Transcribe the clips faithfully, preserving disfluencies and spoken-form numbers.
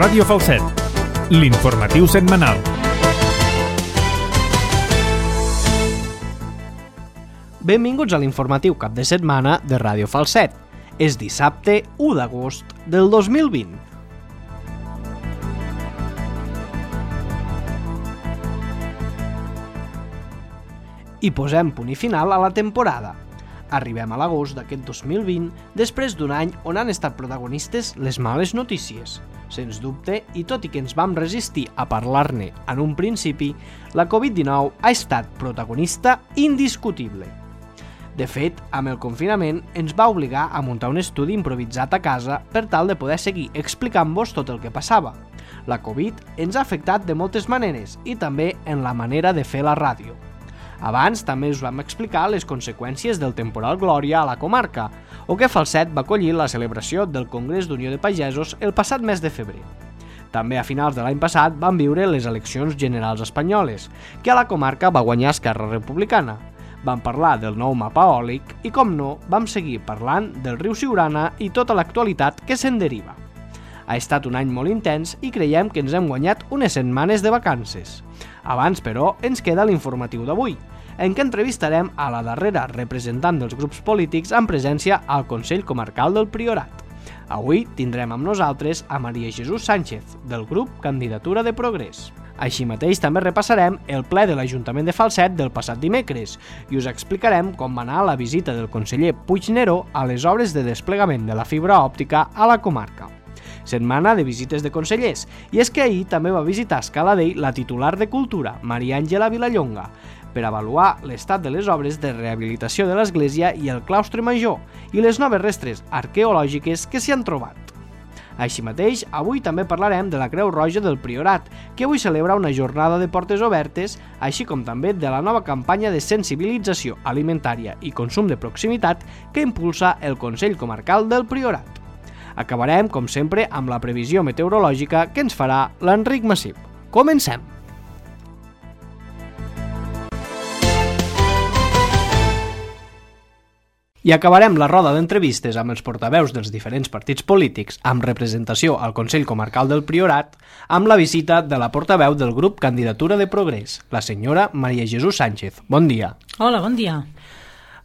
Ràdio Falset, l'informatiu setmanal. Benvinguts a l'informatiu cap de setmana de Ràdio Falset. És dissabte u d'agost del dos mil vint. I posem punt i final a la temporada. Arribem a l'agost d'aquest dos mil vint després d'un any on han estat protagonistes les males notícies. Sens dubte, i tot i que ens vam resistir a parlar-ne en un principi, la covid dinou ha estat protagonista indiscutible. De fet, amb el confinament ens va obligar a muntar un estudi improvisat a casa per tal de poder seguir explicant-vos tot el que passava. La Covid ens ha afectat de moltes maneres i també en la manera de fer la ràdio. Abans també us vam explicar les conseqüències del temporal Glòria a la comarca, o que Falset va acollir la celebració del Congrés d'Unió de Pagesos el passat mes de febrer. També a finals de l'any passat van viure les eleccions generals espanyoles, que a la comarca va guanyar Esquerra Republicana. Vam parlar del nou mapa eòlic i, com no, vam seguir parlant del riu Siurana i tota l'actualitat que se'n deriva. Ha estat un any molt intens i creiem que ens hem guanyat unes setmanes de vacances. Abans, però, ens queda l'informatiu d'avui, en què entrevistarem a la darrera representant dels grups polítics en presència al Consell Comarcal del Priorat. Avui tindrem amb nosaltres a Maria Jesús Sánchez, del grup Candidatura de Progrés. Així mateix també repassarem el ple de l'Ajuntament de Falset del passat dimecres i us explicarem com va anar la visita del conseller Puigneró a les obres de desplegament de la fibra òptica a la comarca. Setmana de visites de consellers, i és que ahir també va visitar a Escaladell la titular de Cultura, Maria Àngela Vilallonga, per avaluar l'estat de les obres de rehabilitació de l'església i el claustre major i les noves restes arqueològiques que s'hi han trobat. Així mateix, avui també parlarem de la Creu Roja del Priorat, que avui celebra una jornada de portes obertes, així com també de la nova campanya de sensibilització alimentària i consum de proximitat que impulsa el Consell Comarcal del Priorat. Acabarem, com sempre, amb la previsió meteorològica que ens farà l'Enric Massip. Comencem! I acabarem la roda d'entrevistes amb els portaveus dels diferents partits polítics amb representació al Consell Comarcal del Priorat amb la visita de la portaveu del grup Candidatura de Progrés, la senyora Maria Jesús Sánchez. Bon dia. Hola, bon dia.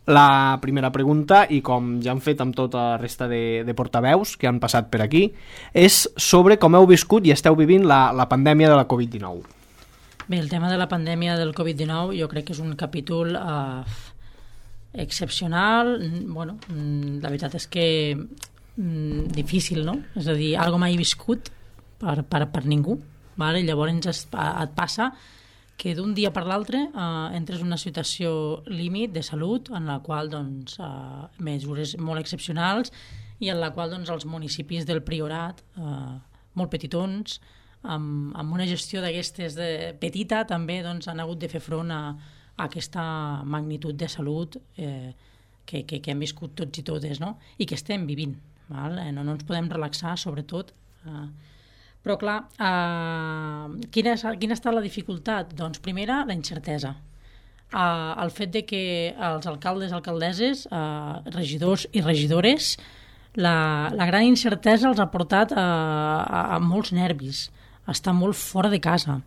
La primera pregunta, i com ja han fet amb tota la resta de, de portaveus que han passat per aquí, és sobre com heu viscut i esteu vivint la, la pandèmia de la covid dinou. Bé, el tema de la pandèmia del covid dinou jo crec que és un capítol eh, excepcional. Bueno, la veritat és que mm, difícil, no? És a dir, algo mai viscut per, per, per ningú. Vale? Llavors es, et passa que d'un dia per l'altre eh, entres en una situació límit de salut en la qual doncs, eh, mesures molt excepcionals i en la qual doncs, els municipis del Priorat, eh, molt petitons, amb, amb una gestió d'aquestes de petita també doncs, han hagut de fer front a, a aquesta magnitud de salut eh, que, que, que hem viscut tots i totes, no? I que estem vivint. Val? No, no ens podem relaxar, sobretot. Eh, Però, clar, eh, quina, és, quina ha estat la dificultat? Doncs, primera, la incertesa. Eh, el fet de que els alcaldes, alcaldesses, eh, regidors i regidores, la, la gran incertesa els ha portat a, a, a molts nervis, a estar molt fora de casa,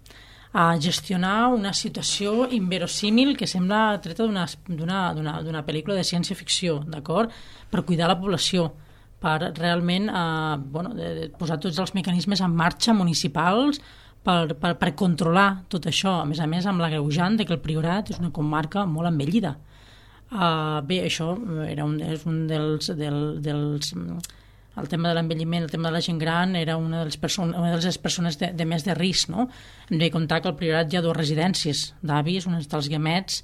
a gestionar una situació inverosímil que sembla treta d'una, d'una, d'una, d'una pel·lícula de ciència-ficció, d'acord? Per cuidar la població, per realment eh, bueno, de, de posar tots els mecanismes en marxa municipals per, per, per controlar tot això. A més a més, amb l'agreujant de que el Priorat és una comarca molt envellida. Uh, bé, això era un, és un dels, del, dels... El tema de l'envelliment, el tema de la gent gran era una de les, perso una de les persones de, de més de risc, no? Hem de comptar que al Priorat hi ha dues residències d'avis, una està als Guiamets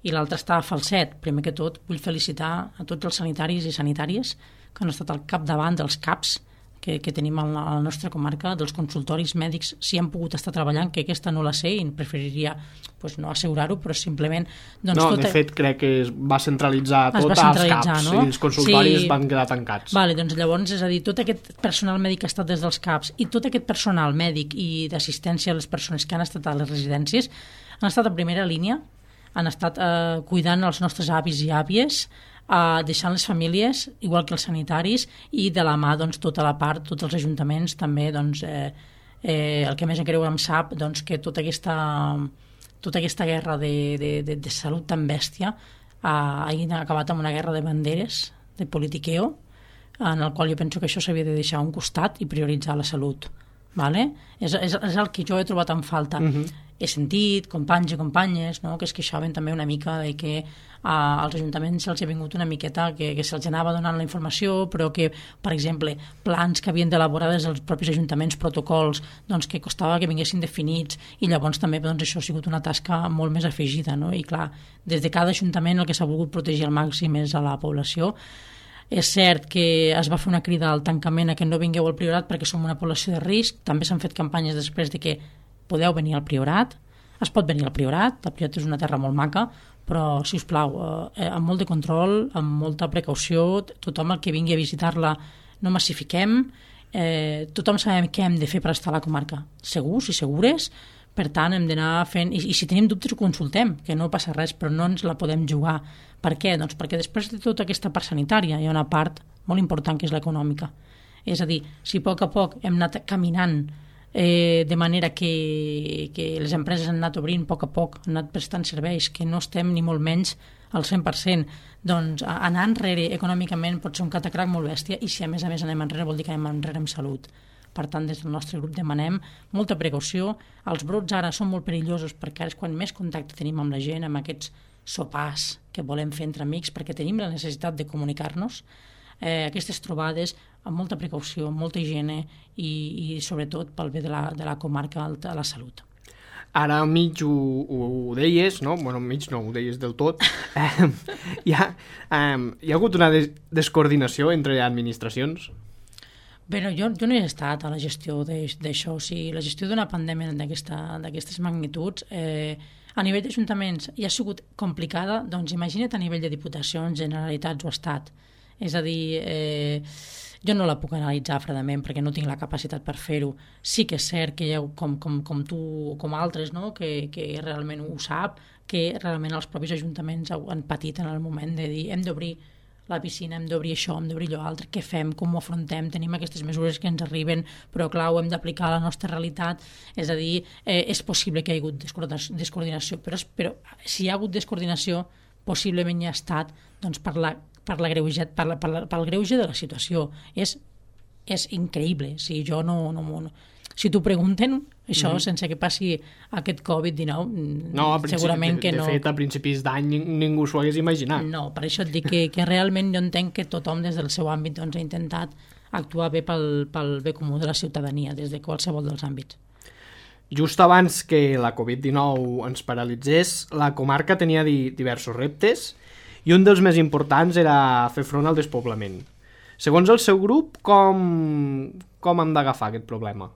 i l'altra està a Falset. Primer que tot, vull felicitar a tots els sanitaris i sanitàries que han estat al capdavant dels CAPs que, que tenim a la, a la nostra comarca, dels consultoris mèdics, si han pogut estar treballant, que aquesta no la sé i preferiria pues, no assegurar-ho, però simplement... Doncs, no, tot... de fet, crec que es va centralitzar es tot va centralitzar, als CAPs, no? I els consultoris sí. van quedar tancats. Vale, doncs llavors, és a dir, tot aquest personal mèdic que ha estat des dels CAPs i tot aquest personal mèdic i d'assistència a les persones que han estat a les residències han estat a primera línia, han estat eh, cuidant els nostres avis i àvies, eh, deixant les famílies, igual que els sanitaris, i de la mà doncs, tota la part, tots els ajuntaments també doncs, eh, eh, el que més em creu em sap doncs, que tota aquesta, tota aquesta guerra de, de, de, de salut tan bèstia ha, ha acabat amb una guerra de banderes, de politiqueo, en el qual jo penso que això s'havia de deixar a un costat i prioritzar la salut. Vale? És, és, és el que jo he trobat en falta. Uh-huh. He sentit companys i companyes, no?, que es queixaven també una mica de que uh, als ajuntaments se'ls ha vingut una miqueta que, que se'ls anava donant la informació, però que, per exemple, plans que havien d'elaborar des dels propis ajuntaments, protocols, doncs que costava que vinguessin definits, i llavors també doncs, això ha sigut una tasca molt més afegida, no? I clar, des de cada ajuntament el que s'ha volgut protegir al màxim és a la població. És cert que es va fer una crida al tancament a que no vingueu al Priorat perquè som una població de risc. També s'han fet campanyes després de que podeu venir al Priorat. Es pot venir al Priorat, el Priorat és una terra molt maca, però, si us plau, eh, amb molt de control, amb molta precaució, tothom el que vingui a visitar-la no massifiquem, eh, tothom sabem què hem de fer per estar a la comarca. Segurs i segures, per tant hem d'anar fent, i, i si tenim dubtes ho consultem, que no passa res, però no ens la podem jugar. Per què? Doncs perquè després de tota aquesta part sanitària hi ha una part molt important que és l'econòmica. És a dir, si a poc a poc hem anat caminant eh, de manera que, que les empreses han anat obrint a poc a poc, han anat prestant serveis, que no estem ni molt menys al cent per cent, doncs anar enrere econòmicament pot ser un catacrac molt bèstia, i si a més a més anem enrere vol dir que anem enrere en salut. Per tant, des del nostre grup demanem molta precaució. Els brots ara són molt perillosos perquè ara és quan més contacte tenim amb la gent, amb aquests sopars que volem fer entre amics, perquè tenim la necessitat de comunicar-nos. Eh, aquestes trobades amb molta precaució, amb molta higiene i, i sobretot pel bé de la, de la comarca de la salut. Ara mig ho, ho deies, no? Bueno, mig no, ho deies del tot. Eh, hi, ha, eh, hi ha hagut una des descoordinació entre administracions? Bé, no, jo, jo no he estat a la gestió d'això. O sigui, la gestió d'una pandèmia d'aquestes magnituds, eh, a nivell d'ajuntaments ja ha sigut complicada, doncs imagina't a nivell de diputacions, generalitats o estat. És a dir, eh, jo no la puc analitzar fredament perquè no tinc la capacitat per fer-ho. Sí que és cert que hi ha, com, com, com tu o com altres, no?, que, que realment ho sap, que realment els propis ajuntaments han patit en el moment de dir hem d'obrir la piscina, hem d'obrir això, hem d'obrir allò altre, què fem, com ho afrontem, tenim aquestes mesures que ens arriben, però clar, ho hem d'aplicar a la nostra realitat. És a dir, eh, és possible que hi ha hagut descoordinació, però, però si hi ha hagut descoordinació, possiblement hi ha estat doncs, per, la, per, la greuge, per, la, per, la, per el greuge de la situació. És, és increïble. Si jo no, no, no si t'ho pregunten, això, mm-hmm. sense que passi aquest covid dinou, no, segurament que de, no. De fet, a principis d'any ningú s'ho hagués imaginat. No, per això et dic que, que realment jo entenc que tothom des del seu àmbit doncs, ha intentat actuar bé pel, pel bé comú de la ciutadania, des de qualsevol dels àmbits. Just abans que la covid dinou ens paralitzés, la comarca tenia di diversos reptes i un dels més importants era fer front al despoblament. Segons el seu grup, com, com hem d'agafar aquest problema?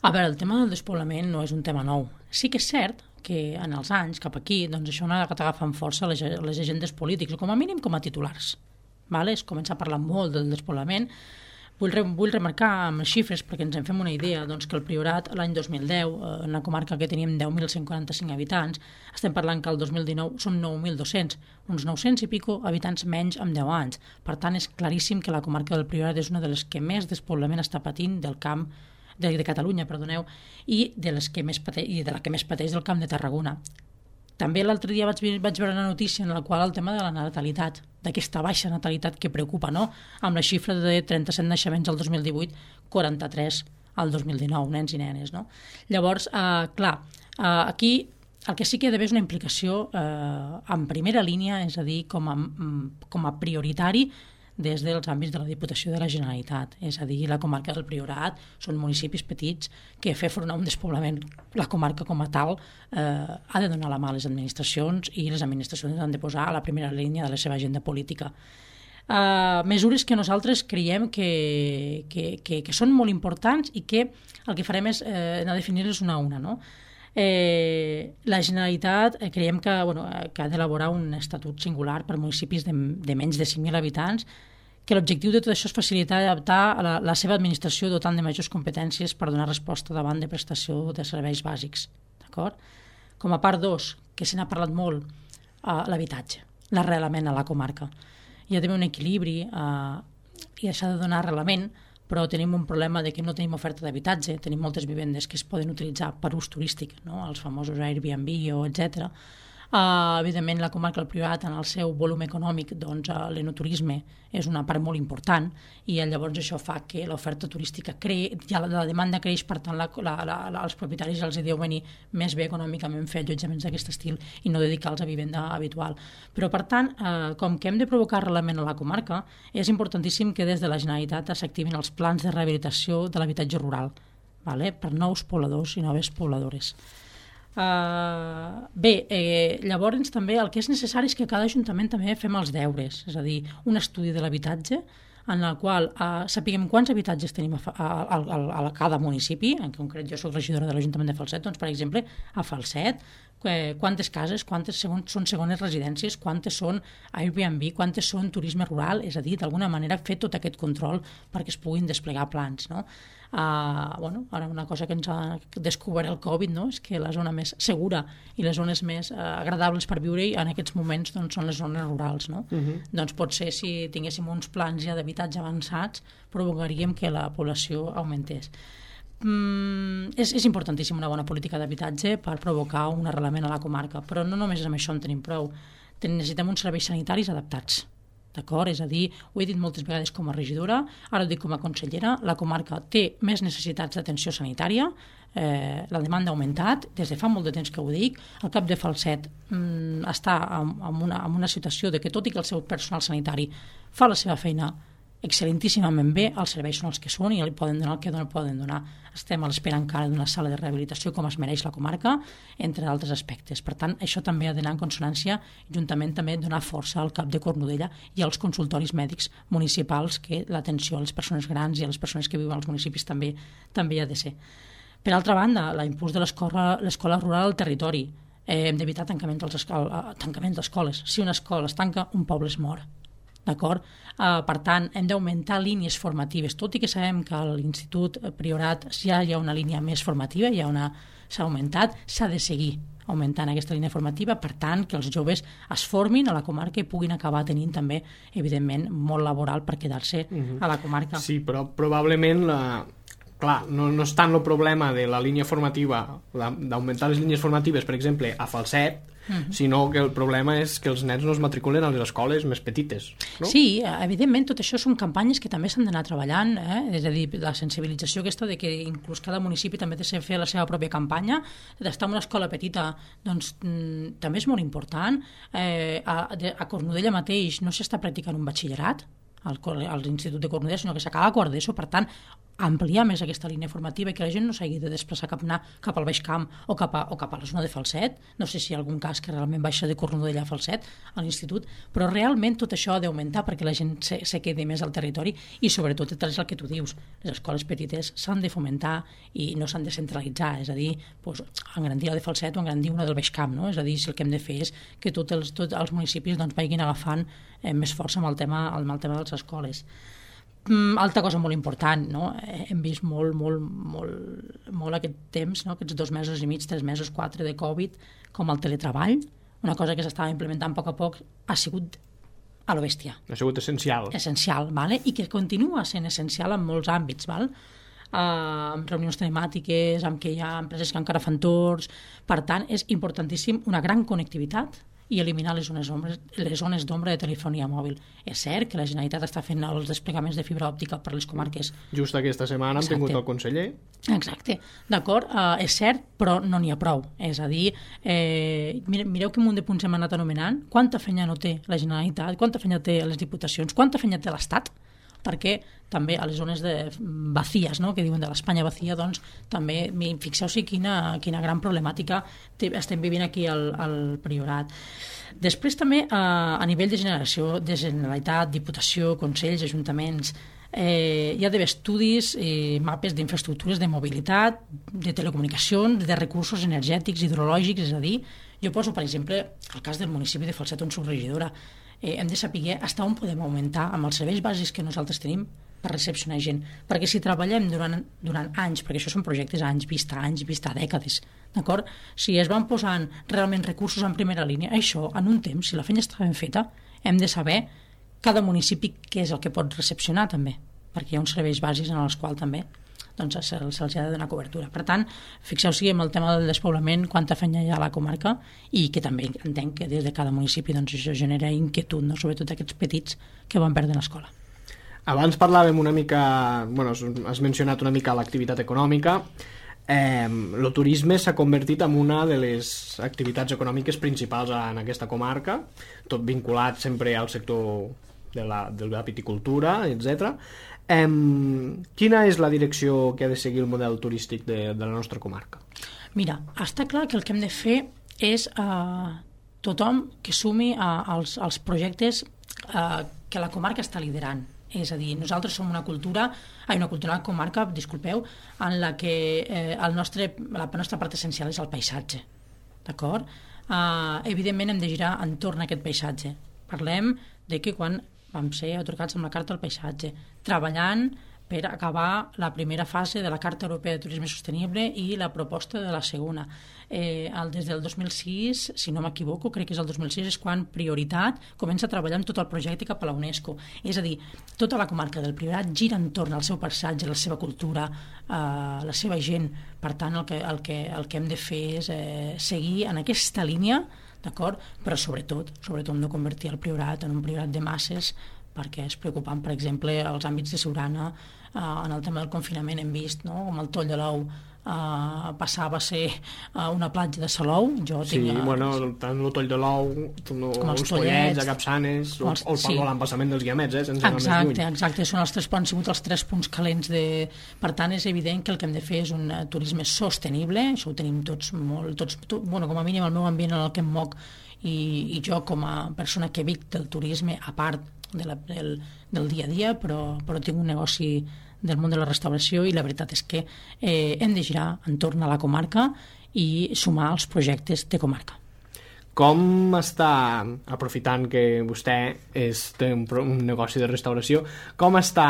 A veure, el tema del despoblament no és un tema nou. Sí que és cert que en els anys, cap aquí, doncs això no ha d'agafar amb força les, les agendes polítiques, com a mínim com a titulars. Vale? Es comença a parlar molt del despoblament. Vull, re, vull remarcar amb les xifres, perquè ens en fem una idea, doncs, que el Priorat l'any dos mil deu, en una comarca que teníem deu mil cent quaranta-cinc habitants, estem parlant que el dos mil dinou són nou mil dos-cents, uns nou-cents i pico habitants menys en deu anys. Per tant, és claríssim que la comarca del Priorat és una de les que més despoblament està patint del camp de, de Catalunya, perdoneu, i de, les que més pateix, i de la que més pateix del camp de Tarragona. També l'altre dia vaig, vaig veure una notícia en la qual el tema de la natalitat, d'aquesta baixa natalitat que preocupa, no?, amb la xifra de trenta-set naixements al dos mil divuit, quaranta-tres al dos mil dinou, nens i nenes, no? Llavors, eh, clar, eh, aquí el que sí que hi ha d'haver és una implicació eh, en primera línia, és a dir, com a, com a prioritari des dels àmbits de la Diputació de la Generalitat. És a dir, la comarca del Priorat són municipis petits que fer front a un despoblament, la comarca com a tal, eh, ha de donar la mà a les administracions i les administracions han de posar a la primera línia de la seva agenda política. Uh, mesures que nosaltres creiem que, que, que, que són molt importants i que el que farem és eh, anar a definir-les una a una, no? Eh, la Generalitat eh, creiem que, bueno, que ha d'elaborar un estatut singular per municipis de, de menys de cinc mil habitants, que l'objectiu de tot això és facilitar i adaptar la, la seva administració dotant de majors competències per donar resposta davant de prestació de serveis bàsics. D'acord? Com a part dos, que se n'ha parlat molt, eh, l'habitatge, l'arrelament a la comarca. Hi ha d'haver un equilibri eh, i s'ha de donar arrelament però tenim un problema de que no tenim oferta d'habitatge, tenim moltes vivendes que es poden utilitzar per ús turístic, no? Els famosos Airbnb o etcètera. Uh, evidentment la comarca del Priorat en el seu volum econòmic, doncs uh, l'enoturisme és una part molt important i llavors això fa que l'oferta turística crei, ja la, la demanda creix, per tant la, la, la, la, els propietaris els deu venir més bé econòmicament fer allotjaments d'aquest estil i no dedicar-los a vivenda habitual. Però per tant, uh, com que hem de provocar arrelament a la comarca, és importantíssim que des de la Generalitat s'activin els plans de rehabilitació de l'habitatge rural, vale? Per nous pobladors i noves pobladores. Uh, bé, eh, llavors també el que és necessari és que cada ajuntament també fem els deures, és a dir, un estudi de l'habitatge en el qual uh, sapiguem quants habitatges tenim a, a, a, a, a cada municipi. En concret jo soc regidora de l'Ajuntament de Falset, doncs per exemple a Falset eh, quantes cases, quantes segon, són segones residències, quantes són Airbnb, quantes són turisme rural, és a dir, d'alguna manera fer tot aquest control perquè es puguin desplegar plans, no? Uh, bueno, ara una cosa que ens ha descobert el Covid, no? És que la zona més segura i les zones més uh, agradables per viure-hi en aquests moments doncs, són les zones rurals, no? Uh-huh. Doncs potser si tinguéssim uns plans ja d'habitatge avançats provocaríem que la població augmentés. Mm, és, és importantíssim una bona política d'habitatge per provocar un arrelament a la comarca, però no només amb això en tenim prou. Necessitem uns serveis sanitaris adaptats. D'acord? És a dir, ho he dit moltes vegades com a regidora, ara ho dic com a consellera, la comarca té més necessitats d'atenció sanitària, eh, la demanda ha augmentat, des de fa molt de temps que ho dic, el cap de Falset mm, està en, en, una, en una situació de que tot i que el seu personal sanitari fa la seva feina excel·lentíssimament bé, els serveis són els que són i li poden donar el que no poden donar. Estem a l'espera encara d'una sala de rehabilitació com es mereix la comarca, entre altres aspectes. Per tant, això també ha d'anar en consonància, juntament també donar força al cap de Cornudella i als consultoris mèdics municipals, que l'atenció a les persones grans i a les persones que viuen als municipis també també ha de ser. Per altra banda, l'impuls de l'escola rural al territori. Eh, hem d'evitar tancaments d'escoles. Si una escola es tanca, un poble es mor. D'acord? Uh, per tant, hem d'augmentar línies formatives, tot i que sabem que a l'Institut Priorat ja hi ha una línia més formativa, ja una, s'ha augmentat, s'ha de seguir augmentant aquesta línia formativa, per tant, que els joves es formin a la comarca i puguin acabar tenint també, evidentment, molt laboral per quedar-se uh-huh. a la comarca. Sí, però probablement la... Clar, no, no és tant el problema de la línia formativa, d'augmentar les línies formatives, per exemple, a Falset, uh-huh. sinó que el problema és que els nens no es matriculen a les escoles més petites, no? Sí, evidentment, tot això són campanyes que també s'han d'anar treballant, eh? És a dir, la sensibilització aquesta de que inclús cada municipi també té de fer la seva pròpia campanya, d'estar en una escola petita, doncs mm, també és molt important. Eh, a, a Cornudella mateix no s'està practicant un batxillerat, al, a l'Institut de Cornudella, sinó que s'acaba quart d'ESO, per tant, ampliar més aquesta línia formativa i que la gent no s'hagi de desplaçar cap, anar cap al Baix Camp o cap, a, o cap a la zona de Falset. No sé si hi ha algun cas que realment baixa de Cornudella a Falset, a l'institut, però realment tot això ha d'augmentar perquè la gent se, se quedi més al territori i sobretot és el que tu dius, les escoles petites s'han de fomentar i no s'han de centralitzar, és a dir, doncs, engrandir la de Falset o engrandir una del Baix Camp, no? És a dir, si el que hem de fer és que tots els, tots els municipis doncs, vagin agafant eh, més força amb el tema, amb el tema de les escoles. Mm, altra cosa molt important, no? Hem vist molt, molt, molt, molt aquest temps, no? Aquests dos mesos i mig, tres mesos, quatre de Covid, com el teletreball, una cosa que s'estava implementant a poc a poc, ha sigut a lo bèstia. Ha sigut essencial. Essencial, vale? I que continua sent essencial en molts àmbits, val? Uh, amb reunions telemàtiques, amb que hi ha empreses que encara fan torns. Per tant, és importantíssim una gran connectivitat i eliminar les zones, ombres, les zones d'ombra de telefonia mòbil. És cert que la Generalitat està fent els desplegaments de fibra òptica per les comarques. Just aquesta setmana hem tingut el conseller. Exacte, d'acord, uh, és cert, però no n'hi ha prou. És a dir, eh, mireu quin munt de punts hem anat anomenant, quanta feina no té la Generalitat, quanta feina té les diputacions, quanta feina té l'Estat, perquè també a les zones de vacíes, no? Que diuen de l'Espanya vacía, doncs també fixeu-s'hi quina, quina gran problemàtica estem vivint aquí al, al Priorat. Després també eh, a nivell de generació, de Generalitat, Diputació, Consells, Ajuntaments, eh, hi ha d'haver estudis i mapes d'infraestructures de mobilitat, de telecomunicacions, de recursos energètics, hidrològics, és a dir, jo poso, per exemple, el cas del municipi de Falset on soc regidora. Eh, hem de saber fins on podem augmentar amb els serveis bàsics que nosaltres tenim per recepcionar gent, perquè si treballem durant, durant anys, perquè això són projectes a anys vista, anys vista, dècades, d'acord? Si es van posant realment recursos en primera línia, això en un temps, si la feina està ben feta, hem de saber cada municipi què és el que pot recepcionar també, perquè hi ha uns serveis bàsics en els quals també doncs, se'ls se ha de donar cobertura. Per tant, fixeu-vos en el tema del despoblament, quanta feina hi ha a la comarca, i que també entenc que des de cada municipi doncs, això genera inquietud, no? Sobretot aquests petits que van perdre l'escola. Abans parlàvem una mica, bueno, has mencionat una mica l'activitat econòmica. Eh, el turisme s'ha convertit en una de les activitats econòmiques principals en aquesta comarca, tot vinculat sempre al sector de la, de la viticultura, etcètera. Eh, quina és la direcció que ha de seguir el model turístic de, de la nostra comarca? Mira, està clar que el que hem de fer és eh, tothom que sumi a, als, als projectes eh, que la comarca està liderant. És a dir, nosaltres som una cultura, ai, una cultura, una comarca, disculpeu, en la que eh, el nostre, la nostra part essencial és el paisatge, d'acord? Uh, evidentment hem de girar entorn a aquest paisatge. Parlem de que quan vam ser atorgats amb la Carta del Paisatge, treballant per acabar la primera fase de la Carta Europea de Turisme Sostenible i la proposta de la segona. Eh, el, des del dos mil sis, si no m'equivoco, crec que és el dos mil sis, és quan Prioritat comença a treballar en tot el projecte cap a la UNESCO. És a dir, tota la comarca del Priorat gira entorn al seu paisatge, la seva cultura, eh, la seva gent. Per tant, el que, el que, el que hem de fer és eh, seguir en aquesta línia, d'acord? Però sobretot, sobretot hem de convertir el Priorat en un Priorat de masses, perquè és preocupant, per exemple, als àmbits de Siurana, eh, en el tema del confinament hem vist, no?, com el Toll de l'Ou eh, passava a ser eh, una platja de Salou. Jo sí, tinc, eh, bueno, tant el Toll de l'Ou, com els Pollets, de Capçanes, o, els, o el, sí. l'embassament dels Guiamets, eh, sense anar més lluny. Exacte, exacte, són els tres, han sigut els tres punts calents. De... Per tant, és evident que el que hem de fer és un uh, turisme sostenible, això ho tenim tots molt, tots, tot, bueno, com a mínim el meu ambient en el que em moc, i, i jo com a persona que vic del turisme, a part de la, del, del dia a dia, però, però tinc un negoci del món de la restauració i la veritat és que eh, hem de girar entorn a la comarca i sumar els projectes de comarca. Com està, aprofitant que vostè és, té un, un negoci de restauració, com està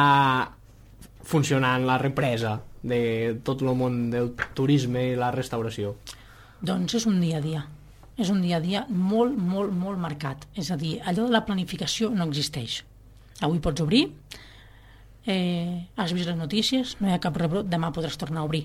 funcionant la represa de tot el món del turisme i la restauració? Doncs és un dia a dia. És un dia a dia molt, molt, molt marcat. És a dir, allò de la planificació no existeix. Avui pots obrir, eh, has vist les notícies, no hi ha cap rebrot, demà podràs tornar a obrir.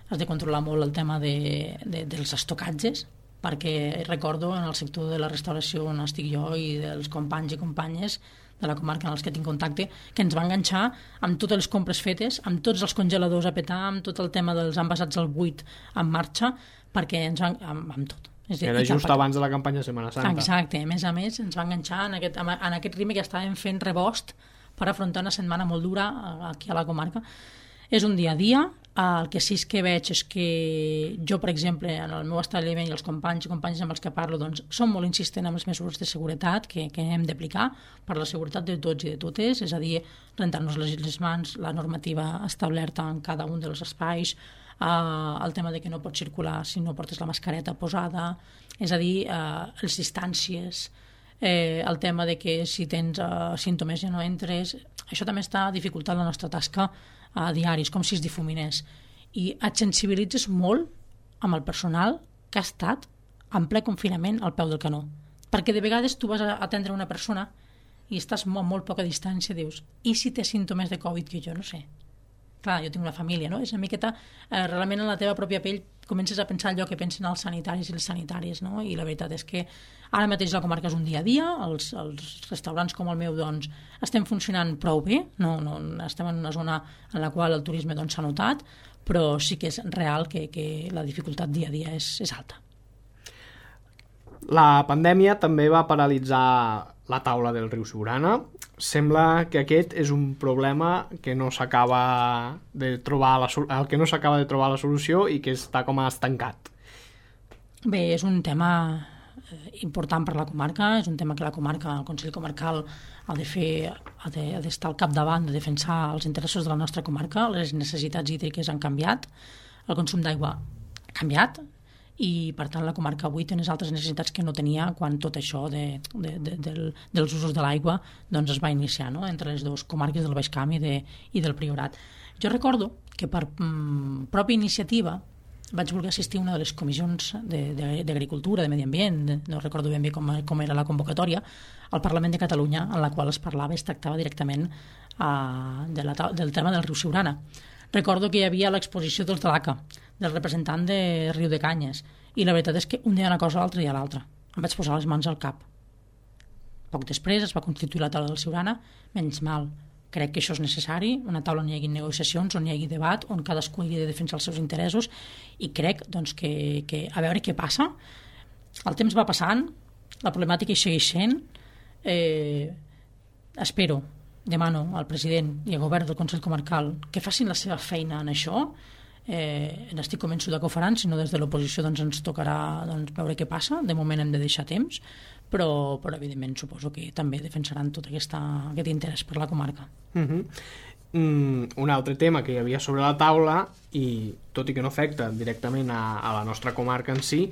Has de controlar molt el tema de, de, dels estocatges, perquè recordo en el sector de la restauració on estic jo i dels companys i companyes de la comarca en els que tinc contacte, que ens va enganxar amb totes les compres fetes, amb tots els congeladors a petar, amb tot el tema dels envasats al buit en marxa, perquè ens van... amb, amb tot. És dir, era just cap... abans de la campanya de Setmana Santa. Exacte, a més a més ens va enganxar en aquest, en aquest ritme que estàvem fent rebost per afrontar una setmana molt dura aquí a la comarca. És un dia a dia. El que sí que veig és que jo, per exemple, en el meu establiment i els companys i companyes amb els que parlo, doncs, som molt insistents en les mesures de seguretat que, que hem d'aplicar per la seguretat de tots i de totes, és a dir, rentar-nos les, les mans, la normativa establerta en cada un dels espais, Uh, el tema de que no pots circular si no portes la mascareta posada, és a dir, uh, les distàncies, eh, el tema de que si tens uh, símptomes ja no entres, això també està dificultant la nostra tasca a uh, diaris, com si es difuminés. I et sensibilitzes molt amb el personal que ha estat en ple confinament al peu del canó. Perquè de vegades tu vas a atendre una persona i estàs molt, molt poca distància, dius, i si té símptomes de Covid que jo no sé? Clar, jo tinc una família, no? És una miqueta, eh, realment en la teva pròpia pell comences a pensar allò que pensen els sanitaris i les sanitàries, no? I la veritat és que ara mateix la comarca és un dia a dia, els, els restaurants com el meu, doncs, estem funcionant prou bé, no, no, estem en una zona en la qual el turisme doncs, s'ha notat, però sí que és real que, que la dificultat dia a dia és, és alta. La pandèmia també va paralitzar la taula del riu Siurana. Sembla que aquest és un problema que no s'acaba de trobar la, el que no s'acaba de trobar la solució i que està com a estancat. Bé, és un tema important per la comarca, és un tema que la comarca, el Consell Comarcal ha de fer, ha de, ha d'estar al capdavant de defensar els interessos de la nostra comarca. Les necessitats hídriques han canviat, el consum d'aigua ha canviat, i per tant la comarca avui té unes altres necessitats que no tenia quan tot això de, de, de, del, dels usos de l'aigua doncs es va iniciar, no?, entre les dues comarques del Baix Camp i, de, i del Priorat. Jo recordo que per mm, pròpia iniciativa vaig voler assistir a una de les comissions d'Agricultura, de, de Medi Ambient, de, no recordo ben bé com, com era la convocatòria, al Parlament de Catalunya, en la qual es parlava, es tractava directament uh, de la, del tema del riu Siurana. Recordo que hi havia l'exposició dels de l'A C A, del representant de Riu de Canyes, i la veritat és que un dia una cosa a l'altra i a l'altra. Em vaig posar les mans al cap. Poc després es va constituir la taula del Siurana, menys mal. Crec que això és necessari, una taula on hi hagi negociacions, on hi hagi debat, on cadascú hagi de defensar els seus interessos, i crec doncs, que, que a veure què passa. El temps va passant, la problemàtica hi segueix sent. Eh, espero, demano al president i al govern del Consell Comarcal que facin la seva feina en això. Eh, n'estic convençuda que ho faran, si no des de l'oposició doncs, ens tocarà doncs, veure què passa. De moment hem de deixar temps, però, però evidentment suposo que també defensaran tot aquesta, aquest interès per la comarca. Uh-huh. Mm, un altre tema que hi havia sobre la taula, i tot i que no afecta directament a, a la nostra comarca en si,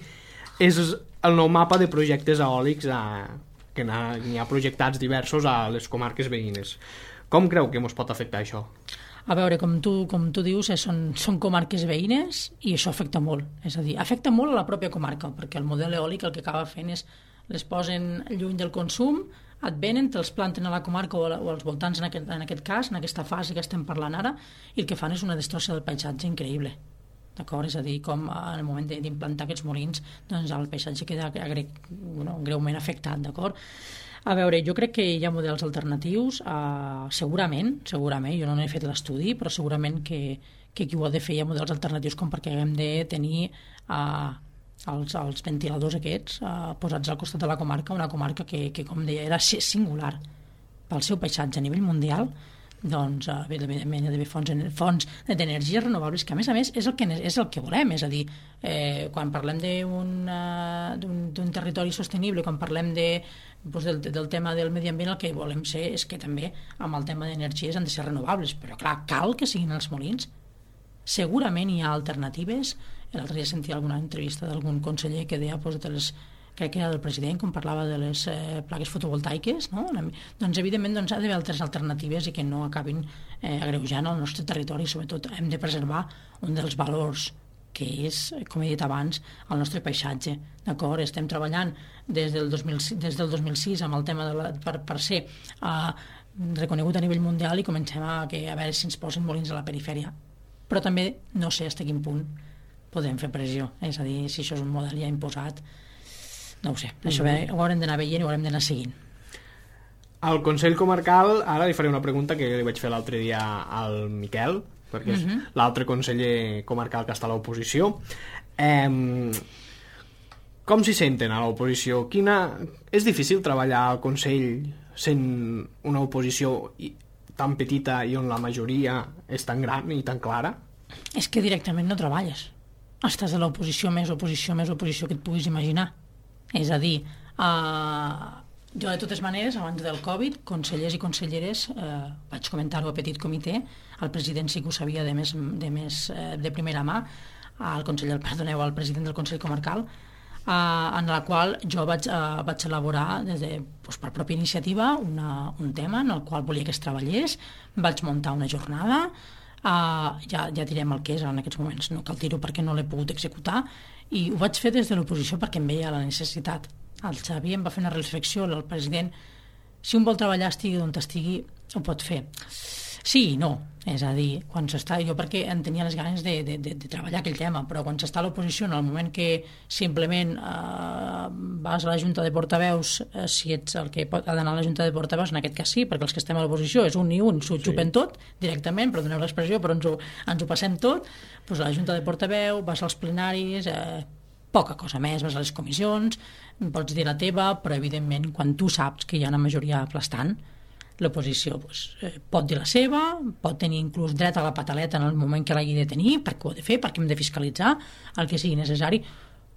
és el nou mapa de projectes eòlics a, que n'hi ha projectats diversos a les comarques veïnes. Com creu que ens pot afectar això? A veure, com tu, com tu dius, eh, són, són comarques veïnes i això afecta molt. És a dir, afecta molt a la pròpia comarca, perquè el model eòlic el que acaba fent és les posen lluny del consum, et venen, te'ls planten a la comarca o, a la, o als voltants en aquest, en aquest cas, en aquesta fase que estem parlant ara, i el que fan és una destrossa del paisatge increïble. D'acord? És a dir, com en el moment d'implantar aquests molins, doncs el paisatge queda gre, bueno, greument afectat, d'acord? A veure, jo crec que hi ha models alternatius, uh, segurament, segurament, jo no n'he fet l'estudi, però segurament que, que qui ho ha de fer hi ha models alternatius com perquè haguem de tenir uh, els, els ventiladors aquests uh, posats al costat de la comarca, una comarca que, que com deia, era singular pel seu paisatge a nivell mundial. Doncs evidentment hi ha d'haver fonts, fonts d'energies renovables, que a més a més és el que, és el que volem, és a dir, eh, quan parlem d'un uh, territori sostenible, quan parlem de, doncs del, del tema del medi ambient, el que volem ser és que també amb el tema d'energies han de ser renovables, però clar, cal que siguin els molins. Segurament hi ha alternatives. L'altre dia sentia alguna entrevista d'algun conseller que deia doncs, de les crec que era del president, quan parlava de les eh, plaques fotovoltaiques, no? Doncs evidentment doncs, ha d'haver altres alternatives i que no acabin eh, agreujant el nostre territori. Sobretot hem de preservar un dels valors que és, com he dit abans, el nostre paisatge. D'acord? Estem treballant des del dos mil, des del dos mil sis amb el tema de la, per, per ser eh, reconegut a nivell mundial, i comencem a, que, a veure si ens posen molins a la perifèria. Però també no sé fins a quin punt podem fer pressió. És a dir, si això és un model ja imposat, no ho sé, això mm-hmm. ho haurem d'anar veient i ho haurem d'anar seguint. Al Consell Comarcal, ara li faré una pregunta que li vaig fer l'altre dia al Miquel, perquè és mm-hmm. l'altre conseller comarcal que està a l'oposició. Eh, com s'hi senten a l'oposició? Quina... És difícil treballar al Consell sent una oposició tan petita i on la majoria és tan gran i tan clara? És que directament no treballes. Estàs a l'oposició, més oposició, més oposició que et puguis imaginar. És a dir, eh, jo de totes maneres, abans del Covid, consellers i conselleres, eh, vaig comentar-ho a petit comitè, el president sí que ho sabia de, més, de, més, eh, de primera mà, al conseller, perdoneu, al president del Consell Comarcal, eh, en la qual jo vaig, eh, vaig elaborar des de, doncs, per pròpia iniciativa una, un tema en el qual volia que es treballés, vaig muntar una jornada, Uh, ja, ja direm el que és en aquests moments, no cal dir-ho perquè no l'he pogut executar, i ho vaig fer des de l'oposició perquè em veia la necessitat. El Xavi em va fer una reflexió, el president, si un vol treballar estigui on estigui, ho pot fer. Sí i no, és a dir, quan s'està, jo perquè en tenia les ganes de, de, de, de treballar aquell tema, però quan s'està a l'oposició, en el moment que simplement eh, vas a la Junta de Portaveus, eh, si ets el que pot, ha d'anar a la Junta de Portaveus, en aquest cas sí, perquè els que estem a l'oposició és un i un, s'ho xupen sí. tot directament, perdoneu l'expressió, però ens ho, ens ho passem tot, doncs a la Junta de Portaveu, vas als plenaris, eh, poca cosa més, vas a les comissions, pots dir la teva, però evidentment quan tu saps que hi ha una majoria aplastant, l'oposició doncs, eh, pot dir la seva, pot tenir inclús dret a la pataleta en el moment que l'hagi de tenir, perquè ho ha de fer, perquè hem de fiscalitzar el que sigui necessari,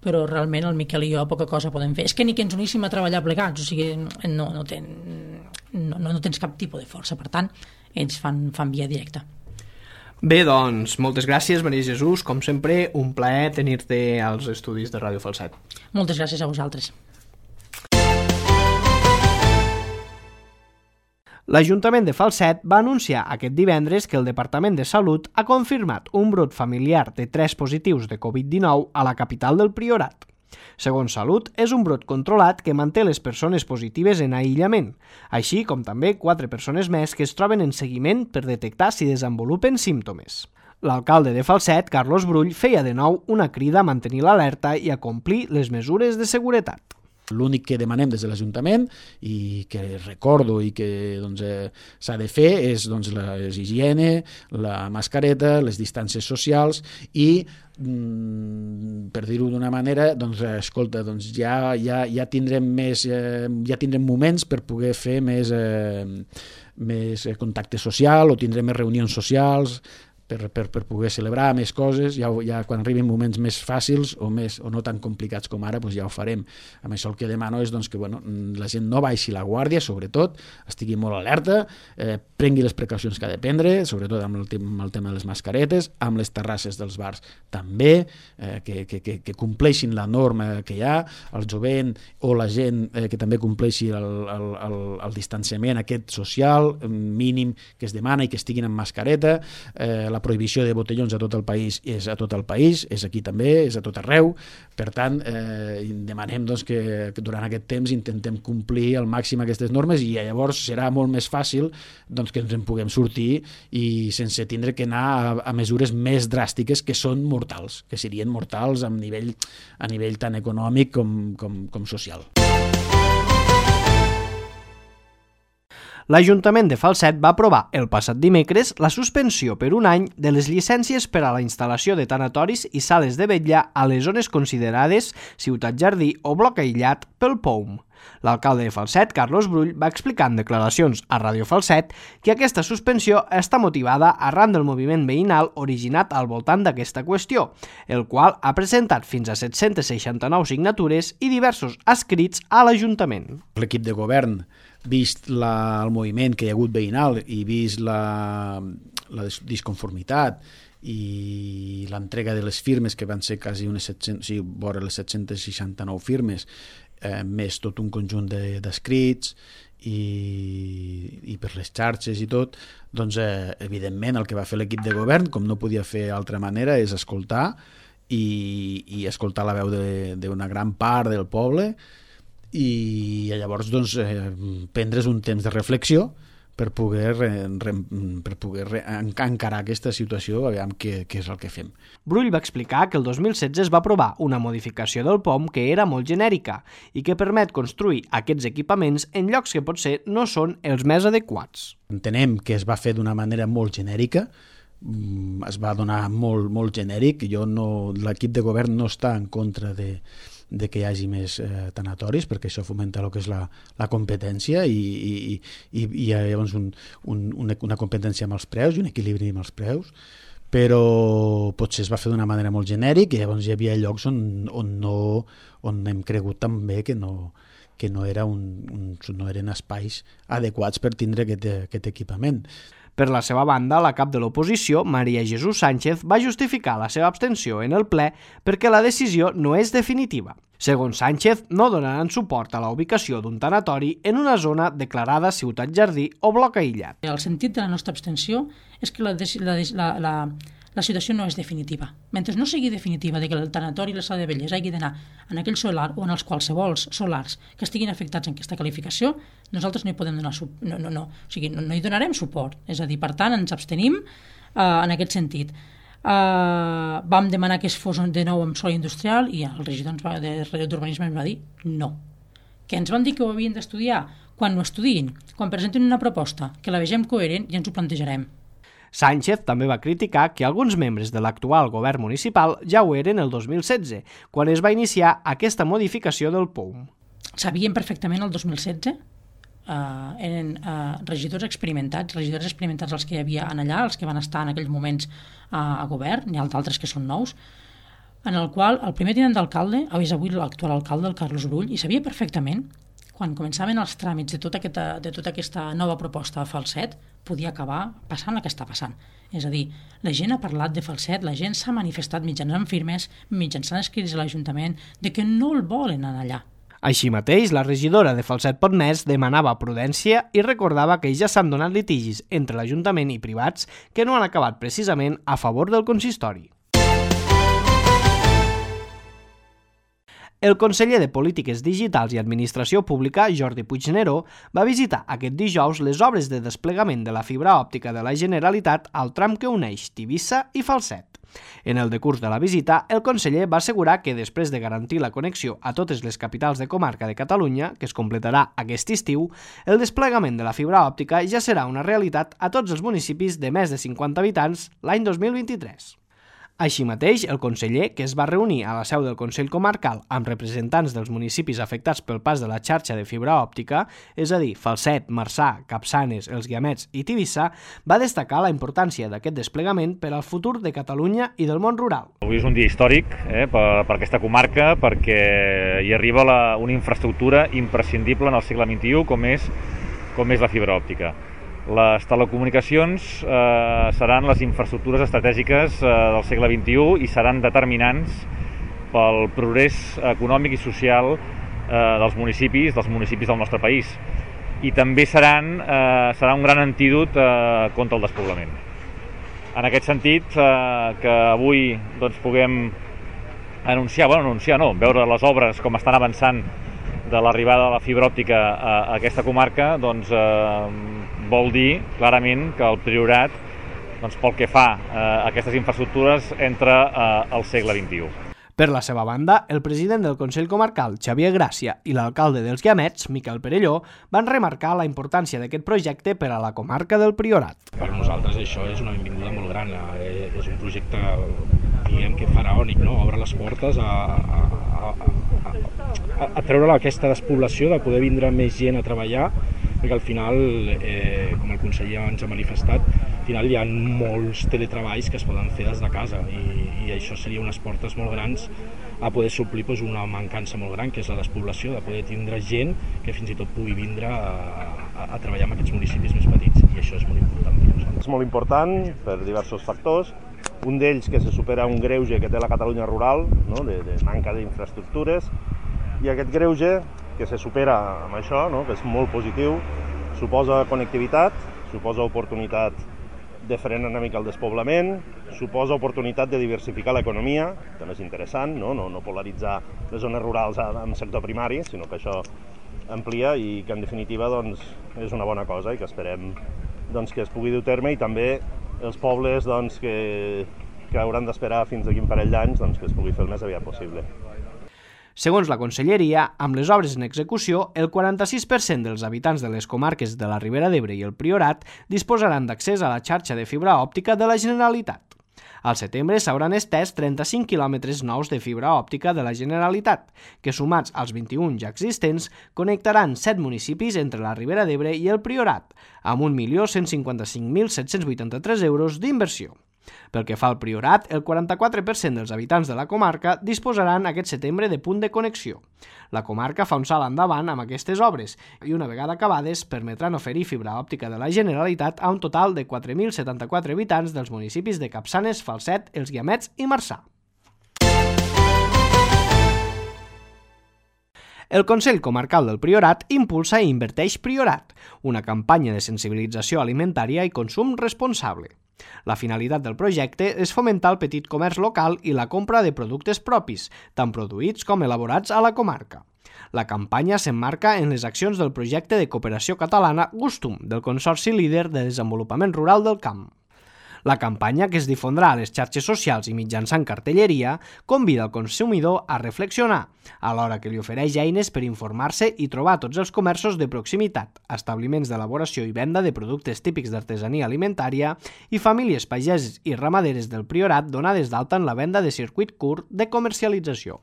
però realment el Miquel i jo poca cosa podem fer. És que ni que ens uníssim a treballar plegats, o sigui, no, no, ten, no, no tens cap tipus de força, per tant, ells fan, fan via directa. Bé, doncs, moltes gràcies, Maria Jesús, com sempre, un plaer tenir-te als estudis de Ràdio Falset. Moltes gràcies a vosaltres. L'Ajuntament de Falset va anunciar aquest divendres que el Departament de Salut ha confirmat un brot familiar de tres positius de covid dinou a la capital del Priorat. Segons Salut, és un brot controlat que manté les persones positives en aïllament, així com també quatre persones més que es troben en seguiment per detectar si desenvolupen símptomes. L'alcalde de Falset, Carlos Brull, feia de nou una crida a mantenir l'alerta i a complir les mesures de seguretat. L'únic que demanem des de l'Ajuntament i que recordo i que doncs, eh, s'ha de fer és doncs, la higiene, la mascareta, les distàncies socials i, mm, per dir-ho d'una manera, doncs, escolta, doncs, ja, ja, ja, tindrem més, eh, ja tindrem moments per poder fer més, eh, més contacte social o tindrem més reunions socials, Per, per, per poder celebrar més coses, ja, ja quan arribin moments més fàcils o, més, o no tan complicats com ara, doncs ja ho farem. Amb això el que demano és doncs, que bueno, la gent no baixi la guàrdia, sobretot, estigui molt alerta, eh, prengui les precaucions que ha de prendre, sobretot amb el, amb el tema de les mascaretes, amb les terrasses dels bars també, eh, que, que, que, que compleixin la norma que hi ha, el jovent o la gent eh, que també compleixi el, el, el, el distanciament aquest social mínim que es demana i que estiguin amb mascareta, eh, la prohibició de botellons a tot el país és a tot el país, és aquí també, és a tot arreu. Per tant, eh, demanem doncs, que, que durant aquest temps intentem complir al màxim aquestes normes i llavors serà molt més fàcil doncs, que ens en puguem sortir i sense tindre que anar a, a mesures més dràstiques que són mortals, que serien mortals a nivell, a nivell tant econòmic com, com, com social. L'Ajuntament de Falset va aprovar el passat dimecres la suspensió per un any de les llicències per a la instal·lació de tanatoris i sales de vetlla a les zones considerades ciutat jardí o bloc aïllat pel P O U M. L'alcalde de Falset, Carlos Brull, va explicar en declaracions a Ràdio Falset que aquesta suspensió està motivada arran del moviment veïnal originat al voltant d'aquesta qüestió, el qual ha presentat fins a set-cents seixanta-nou signatures i diversos escrits a l'Ajuntament. L'equip de govern, vist la, el moviment que hi ha hagut veïnal i vist la, la disconformitat i l'entrega de les firmes, que van ser quasi unes set-cents, sí, vora les set-cents seixanta-nou firmes, eh, més tot un conjunt d'escrits i, i per les xarxes i tot, doncs eh, evidentment el que va fer l'equip de govern, com no podia fer d'altra manera, és escoltar i, i escoltar la veu d'una gran part del poble i llavors doncs, eh, prendre's un temps de reflexió per poder, re, re, per poder re, encarar aquesta situació, aviam què, què és el que fem. Brull va explicar que el dos mil setze es va aprovar una modificació del P O U M que era molt genèrica i que permet construir aquests equipaments en llocs que potser no són els més adequats. Entenem que es va fer d'una manera molt genèrica, es va donar molt, molt genèric, jo no, l'equip de govern no està en contra de de que hi hagi més eh, tanatoris, perquè això fomenta el que és la, la competència i, i, i, i hi ha llavors un, un, una, una competència amb els preus i un equilibri amb els preus, però potser es va fer d'una manera molt genèrica i llavors hi havia llocs on, on, no, on hem cregut també que no, que no, era un, un, no eren espais adequats per tindre aquest, aquest equipament. Per la seva banda, la cap de l'oposició, Maria Jesús Sánchez, va justificar la seva abstenció en el ple perquè la decisió no és definitiva. Segons Sánchez, no donaran suport a la ubicació d'un tanatori en una zona declarada ciutat jardí o bloc aïllat. El sentit de la nostra abstenció és que la, la, la, la, la situació no és definitiva. Mentre no sigui definitiva de que el tanatori i la sala de velles hagi d'anar en aquell solar o en els qualsevols solars que estiguin afectats en aquesta qualificació, nosaltres no hi podem donar suport, no, no, no. O sigui, no, no hi donarem suport. És a dir, per tant, ens abstenim eh, en aquest sentit. Uh, vam demanar que es fos de nou amb sòl industrial i el regidor ens va, de d'urbanisme ens va dir no. Que ens van dir que ho havien d'estudiar. Quan ho estudiïn, quan presentin una proposta, que la vegem coherent, ja ens ho plantejarem. Sánchez també va criticar que alguns membres de l'actual govern municipal ja ho eren el dos mil setze, quan es va iniciar aquesta modificació del P O U M. Sabíem perfectament el dos mil setze, Uh, eren uh, regidors experimentats, regidors experimentats els que hi havia en allà, els que van estar en aquells moments uh, a govern, n'hi ha d'altres que són nous, en el qual el primer tinent d'alcalde, és avui l'actual alcalde, el Carlos Brull, i sabia perfectament, quan començaven els tràmits de tota aquesta, de tota aquesta nova proposta a Falset, podia acabar passant el que està passant. És a dir, la gent ha parlat de Falset, la gent s'ha manifestat mitjançant firmes, mitjançant escrits a l'Ajuntament, de que no el volen anar allà. Així mateix, la regidora de Falset Potmés demanava prudència i recordava que ja s'han donat litigis entre l'Ajuntament i privats que no han acabat precisament a favor del consistori. El conseller de Polítiques Digitals i Administració Pública, Jordi Puigneró, va visitar aquest dijous les obres de desplegament de la fibra òptica de la Generalitat al tram que uneix Tivissa i Falset. En el decurs de la visita, el conseller va assegurar que després de garantir la connexió a totes les capitals de comarca de Catalunya, que es completarà aquest estiu, el desplegament de la fibra òptica ja serà una realitat a tots els municipis de més de cinquanta habitants l'any dos mil vint-i-tres. Així mateix, el conseller, que es va reunir a la seu del Consell Comarcal amb representants dels municipis afectats pel pas de la xarxa de fibra òptica, és a dir, Falset, Marçà, Capçanes, Els Guiamets i Tivissa, va destacar la importància d'aquest desplegament per al futur de Catalunya i del món rural. Avui és un dia històric eh, per, per aquesta comarca perquè hi arriba la, una infraestructura imprescindible en el segle vint-i-u com és, com és la fibra òptica. Les telecomunicacions eh, seran les infraestructures estratègiques eh, del segle vint-i-u i seran determinants pel progrés econòmic i social eh, dels municipis, dels municipis del nostre país. I també seran, eh, serà un gran antídot eh, contra el despoblament. En aquest sentit, eh, que avui doncs, puguem anunciar, bueno, anunciar no, veure les obres com estan avançant de l'arribada de la fibra òptica a, a aquesta comarca, doncs eh, vol dir clarament que el Priorat, doncs, pel que fa a aquestes infraestructures, entra eh, al segle vint-i-u. Per la seva banda, el president del Consell Comarcal, Xavier Gràcia, i l'alcalde dels Guiamets, Miquel Perelló, van remarcar la importància d'aquest projecte per a la comarca del Priorat. Per nosaltres això és una benvinguda molt gran, eh, és un projecte, diguem que faraònic, no? Obre les portes a, a, a, a, a treure aquesta despoblació, de poder vindre més gent a treballar, perquè al final, eh, com el conseller ens ha manifestat, al final hi ha molts teletreballs que es poden fer des de casa i, i això seria unes portes molt grans a poder suplir doncs, una mancança molt gran, que és la despoblació, de poder tindre gent que fins i tot pugui vindre a, a, a treballar en aquests municipis més petits, i això és molt important per nosaltres. És molt important per diversos factors, un d'ells que se supera un greuge que té la Catalunya rural, no? de, de manca d'infraestructures, i aquest greuge que se supera amb això, no? que és molt positiu, suposa connectivitat, suposa oportunitat de frenar una mica el despoblament, suposa oportunitat de diversificar l'economia, també és interessant, no? No, no polaritzar les zones rurals amb sector primari, sinó que això amplia i que en definitiva doncs, és una bona cosa i que esperem doncs, que es pugui dur a terme, i també els pobles doncs, que, que hauran d'esperar fins a quin parell d'anys doncs, que es pugui fer el més aviat possible. Segons la Conselleria, amb les obres en execució, el quaranta-sis per cent dels habitants de les comarques de la Ribera d'Ebre i el Priorat disposaran d'accés a la xarxa de fibra òptica de la Generalitat. Al setembre s'hauran estès trenta-cinc quilòmetres nous de fibra òptica de la Generalitat, que sumats als vint-i-un ja existents, connectaran set municipis entre la Ribera d'Ebre i el Priorat, amb un milió cent cinquanta-cinc mil set-cents vuitanta-tres euros d'inversió. Pel que fa al Priorat, el quaranta-quatre per cent dels habitants de la comarca disposaran aquest setembre de punt de connexió. La comarca fa un salt endavant amb aquestes obres i una vegada acabades permetran oferir fibra òptica de la Generalitat a un total de quatre mil setanta-quatre habitants dels municipis de Capçanes, Falset, Els Guiamets i Marçà. El Consell Comarcal del Priorat impulsa i inverteix Priorat, una campanya de sensibilització alimentària i consum responsable. La finalitat del projecte és fomentar el petit comerç local i la compra de productes propis, tant produïts com elaborats a la comarca. La campanya s'emmarca en les accions del projecte de cooperació catalana Gustum, del Consorci Líder de Desenvolupament Rural del Camp. La campanya, que es difondrà a les xarxes socials i mitjançant cartelleria, convida el consumidor a reflexionar, alhora que li ofereix eines per informar-se i trobar tots els comerços de proximitat, establiments d'elaboració i venda de productes típics d'artesania alimentària i famílies pageses i ramaderes del Priorat donades d'alta en la venda de circuit curt de comercialització.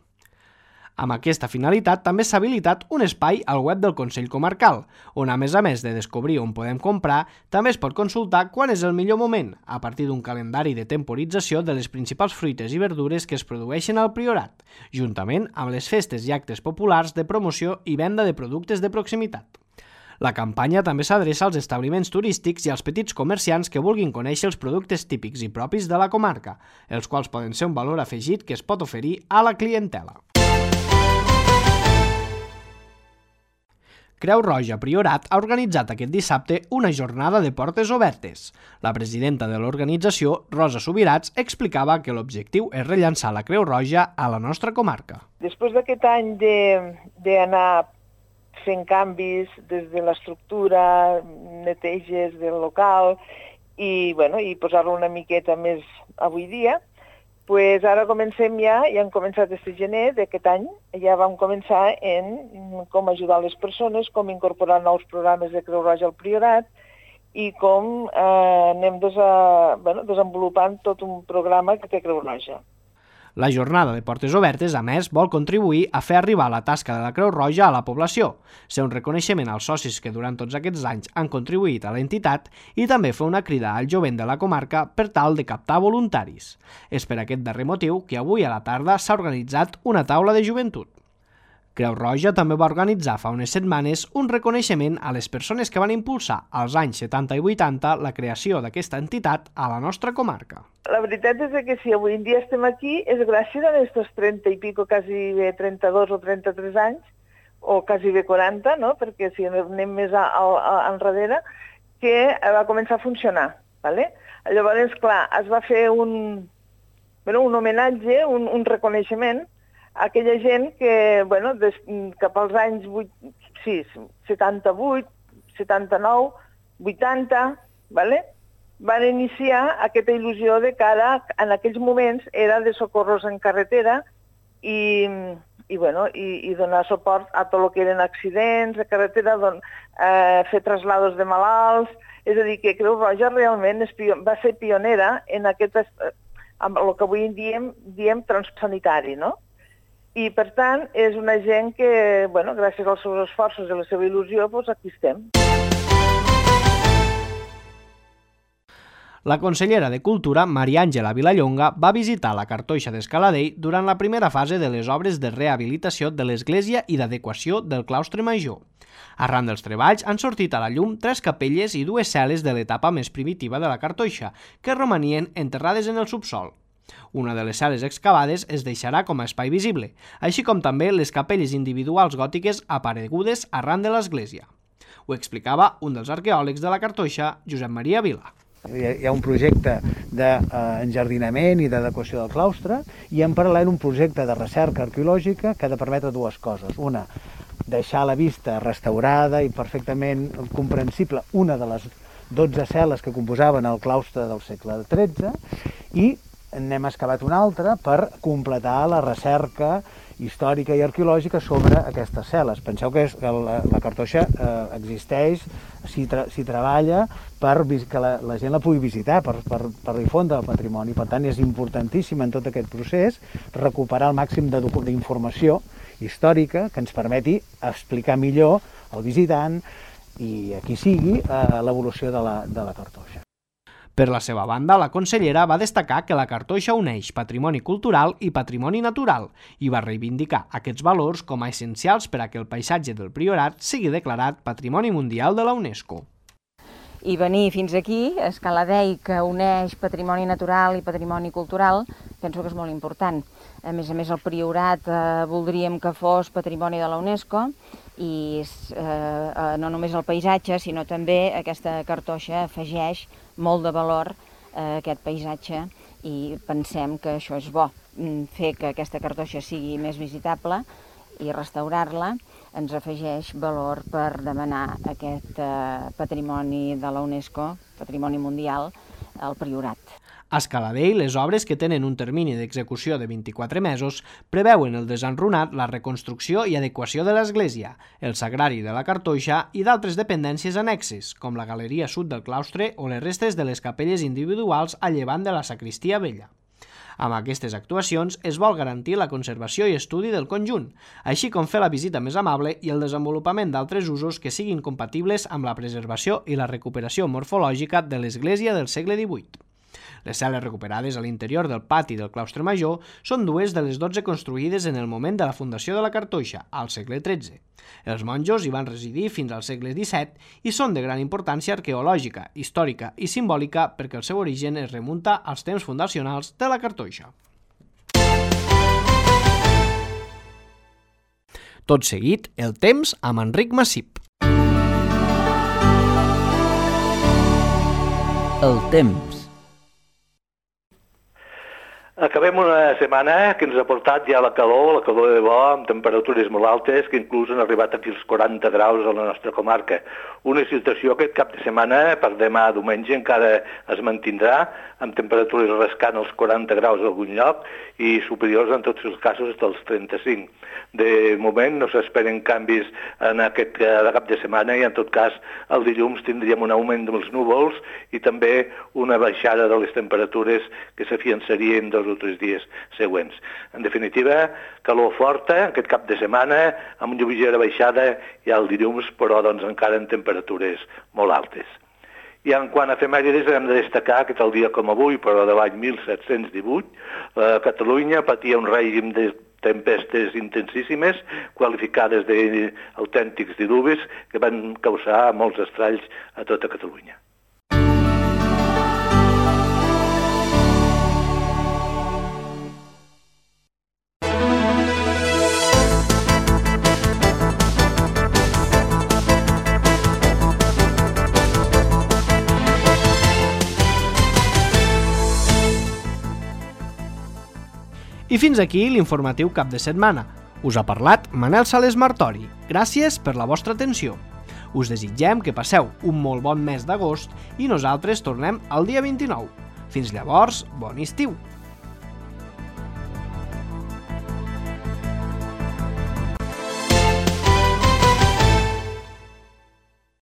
Amb aquesta finalitat també s'ha habilitat un espai al web del Consell Comarcal, on a més a més de descobrir on podem comprar, també es pot consultar quan és el millor moment, a partir d'un calendari de temporització de les principals fruites i verdures que es produeixen al Priorat, juntament amb les festes i actes populars de promoció i venda de productes de proximitat. La campanya també s'adreça als establiments turístics i als petits comerciants que vulguin conèixer els productes típics i propis de la comarca, els quals poden ser un valor afegit que es pot oferir a la clientela. Creu Roja Priorat ha organitzat aquest dissabte una jornada de portes obertes. La presidenta de l'organització, Rosa Subirats, explicava que l'objectiu és rellançar la Creu Roja a la nostra comarca. Després d'aquest any d'anar fent canvis des de l'estructura, neteges del local i, bueno, i posar-lo una miqueta més avui dia, pues ara comencem ja, ja hem començat este gener d'aquest any, ja vam començar en com ajudar les persones, com incorporar nous programes de Creu Roja al Priorat i com eh, anem desa, bueno, desenvolupant tot un programa que té Creu Roja. La jornada de portes obertes, a més, vol contribuir a fer arribar la tasca de la Creu Roja a la població, ser un reconeixement als socis que durant tots aquests anys han contribuït a l'entitat i també fer una crida al jovent de la comarca per tal de captar voluntaris. És per aquest darrer motiu que avui a la tarda s'ha organitzat una taula de joventut. Creu Roja també va organitzar fa unes setmanes un reconeixement a les persones que van impulsar als anys setanta i vuitanta la creació d'aquesta entitat a la nostra comarca. La veritat és que si avui en dia estem aquí és gràcies a aquests trenta i pico, quasi bé trenta-dos o trenta-tres anys, o quasi bé quaranta, no? Perquè si anem més a, a, a, enrere, que va començar a funcionar. ¿vale? Llavors, clar, es va fer un, bueno, un homenatge, un, un reconeixement a aquella gent que, bueno, des, cap als anys vuit, sí, setanta-vuit, setanta-nou, vuitanta, ¿vale? Van iniciar aquesta il·lusió de que ara, en aquells moments, era de socorros en carretera i, i, bueno, i, i donar suport a tot el que eren accidents de carretera, don, eh, fer traslados de malalts. És a dir, que Creu Roja realment és, va ser pionera en aquest, amb el que avui en diem, diem transsanitari, no? I, per tant, és una gent que, bueno, gràcies als seus esforços i a la seva il·lusió, doncs aquí estem. La consellera de Cultura, Maria Àngela Vilallonga, va visitar la Cartoixa d'Escaladell durant la primera fase de les obres de rehabilitació de l'església i d'adequació del claustre major. Arran dels treballs han sortit a la llum tres capelles i dues cel·les de l'etapa més primitiva de la Cartoixa, que romanien enterrades en el subsol. Una de les cel·les excavades es deixarà com a espai visible, així com també les capelles individuals gòtiques aparegudes arran de l'església. Ho explicava un dels arqueòlegs de la Cartoixa, Josep Maria Vila. Hi ha un projecte d'enjardinament i d'adequació del claustre i en paral·lel un projecte de recerca arqueològica que ha de permetre dues coses. Una, deixar la vista restaurada i perfectament comprensible una de les dotze cel·les que composaven el claustre del segle tretze i n'hem excavat una altra per completar la recerca històrica i arqueològica sobre aquestes cel·les. Penseu que, és, que la, la Cartoixa eh, existeix, s'hi tra, treballa per que la, la gent la pugui visitar, per, per, per difondre el patrimoni. Per tant, és importantíssim en tot aquest procés recuperar el màxim d'informació històrica que ens permeti explicar millor al visitant i a qui sigui eh, l'evolució de la, de la Cartoixa. Per la seva banda, la consellera va destacar que la Cartoixa uneix patrimoni cultural i patrimoni natural i va reivindicar aquests valors com a essencials per a que el paisatge del Priorat sigui declarat Patrimoni Mundial de la UNESCO. I venir fins aquí, a Escaladell, que uneix patrimoni natural i patrimoni cultural, penso que és molt important. A més a més, el Priorat eh, voldríem que fos patrimoni de la UNESCO i eh, no només el paisatge, sinó també aquesta Cartoixa afegeix molt de valor a aquest paisatge i pensem que això és bo. Fer que aquesta Cartoixa sigui més visitable i restaurar-la ens afegeix valor per demanar aquest eh, patrimoni de la UNESCO, patrimoni mundial, al Priorat. A Escaladell, les obres, que tenen un termini d'execució de vint-i-quatre mesos, preveuen el desenrunat, la reconstrucció i adequació de l'església, el sagrari de la Cartoixa i d'altres dependències annexes, com la galeria sud del claustre o les restes de les capelles individuals a llevant de la sagristia vella. Amb aquestes actuacions es vol garantir la conservació i estudi del conjunt, així com fer la visita més amable i el desenvolupament d'altres usos que siguin compatibles amb la preservació i la recuperació morfològica de l'església del segle divuit. Les cel·les recuperades a l'interior del pati del claustre major són dues de les dotze construïdes en el moment de la fundació de la Cartoixa, al segle tretze. Els monjos hi van residir fins al segle disset i són de gran importància arqueològica, històrica i simbòlica perquè el seu origen es remunta als temps fundacionals de la Cartoixa. Tot seguit, el temps amb Enric Massip. El temps. Acabem una setmana que ens ha portat ja la calor, la calor de bo, amb temperatures molt altes, que inclús han arribat aquí als quaranta graus a la nostra comarca. Una situació que aquest cap de setmana, per demà diumenge, encara es mantindrà, amb temperatures rascant els quaranta graus en algun lloc i superiors en tots els casos dels trenta-cinc. De moment no s'esperen canvis en aquest cap de setmana i en tot cas el dilluns tindríem un augment dels núvols i també una baixada de les temperatures que s'afiançarien dos o tres dies següents. En definitiva, calor forta aquest cap de setmana amb una lleugera baixada ja el dilluns, però doncs encara en temperatures molt altes. I en quant a efemèrides hem de destacar que tal dia com avui, però de l'any mil set-cents divuit, eh, Catalunya patia un règim de tempestes intensíssimes, qualificades d'autèntics diluvis, que van causar molts estralls a tota Catalunya. I fins aquí l'informatiu cap de setmana. Us ha parlat Manel Sales Martori. Gràcies per la vostra atenció. Us desitgem que passeu un molt bon mes d'agost i nosaltres tornem el dia vint-i-nou. Fins llavors, bon estiu!